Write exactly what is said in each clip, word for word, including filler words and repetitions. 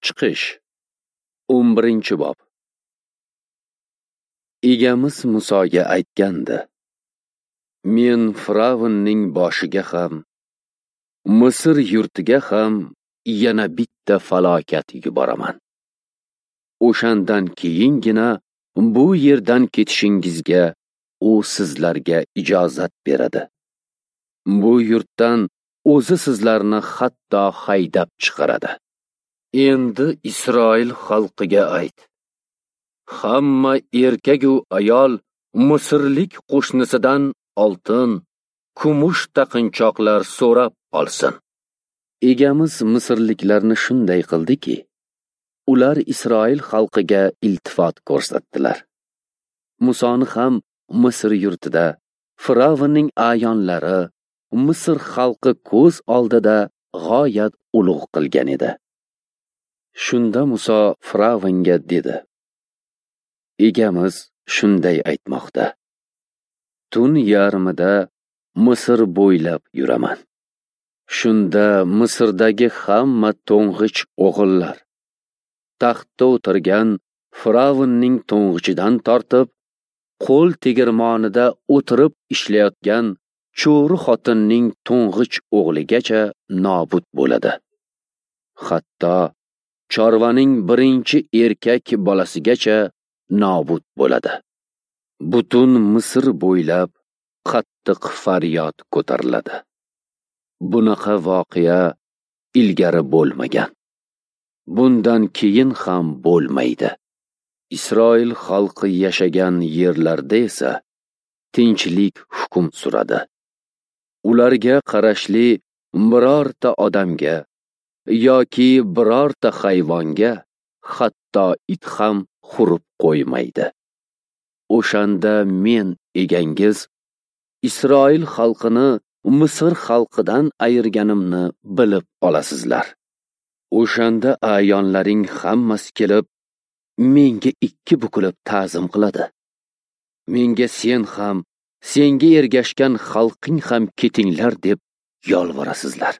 Chiqish o'n birinchi bob. Egamiz Musoga aytgandi: Men Firavnning boshiga ham, Misr yurtiga ham yana bitta falokat yuboraman. O'shandan keyingina bu yerdan ketishingizga u sizlarga ijozat beradi. Bu yurtdan o'zi sizlarni hatto haydab chiqaradi. Endi Isroil xalqiga ayt: hamma erkak u ayol misrlik qo'shnisidan oltin, kumush taqinchoqlar so'rab olsin. Egamiz misrliklarni shunday qildiki, ular Isroil xalqiga iltifot ko'rsatdilar. Musoni ham Misr yurtida Firavnning a'yonlari, Misr xalqi ko'z oldida g'oyat ulug' qilgan edi. Shunda Muso Firavnga dedi: Egamiz shunday aytmoqda: Tun yarmida Misr bo'ylab yuraman. Shunda Misrdagi hamma to'ng'ich o'g'illar, taxtda o'tirgan Firavnning to'ng'ichidan tortib, qo'l tegirmonida o'tirib ishlayotgan cho'ri xotinning to'ng'ich o'g'ligacha nobud bo'ladi. Hatto chorvaning birinchi erkak bolasigacha nobud bo'ladi. Butun Misr bo'ylab qattiq faryod ko'tariladi. Bunaqa voqea ilgari bo'lmagan. Bundan keyin ham bo'lmaydi. Isroil xalqi yashagan yerlarda esa tinchlik hukm suradi. Ularga qarashli birorta odamga yoki birorta hayvonga hatto it ham hurib qo'ymaydi. O'shanda men egangiz Isroil xalqini Misr xalqidan ayirganimni bilib olasizlar. O'shanda a'yonlaring hammasi kelib, menga ikki bukilib ta'zim qiladi. Menga sen ham, senga ergashgan xalqing ham ketinglar deb yolvorasizlar.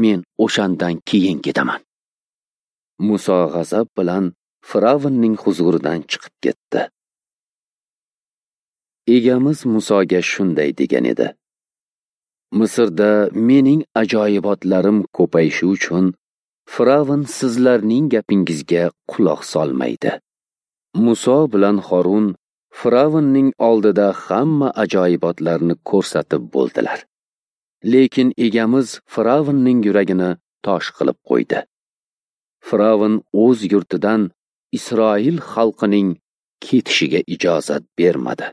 Men o'shandan keyin ketaman. Muso g'azab bilan Firavnning huzuridan chiqib ketdi. Egamiz Musoga shunday degan edi: Misrda mening ajoyibotlarim ko'payishi uchun Firavn sizlarning gapingizga quloq solmaydi. Muso bilan Harun Firavnning oldida hamma ajoyibotlarni ko'rsatib bo'ldilar. Lekin egamiz Firavnning yuragini tosh qilib qo'ydi. Firavn o'z yurtidan Isroil xalqining ketishiga ijozat bermadi.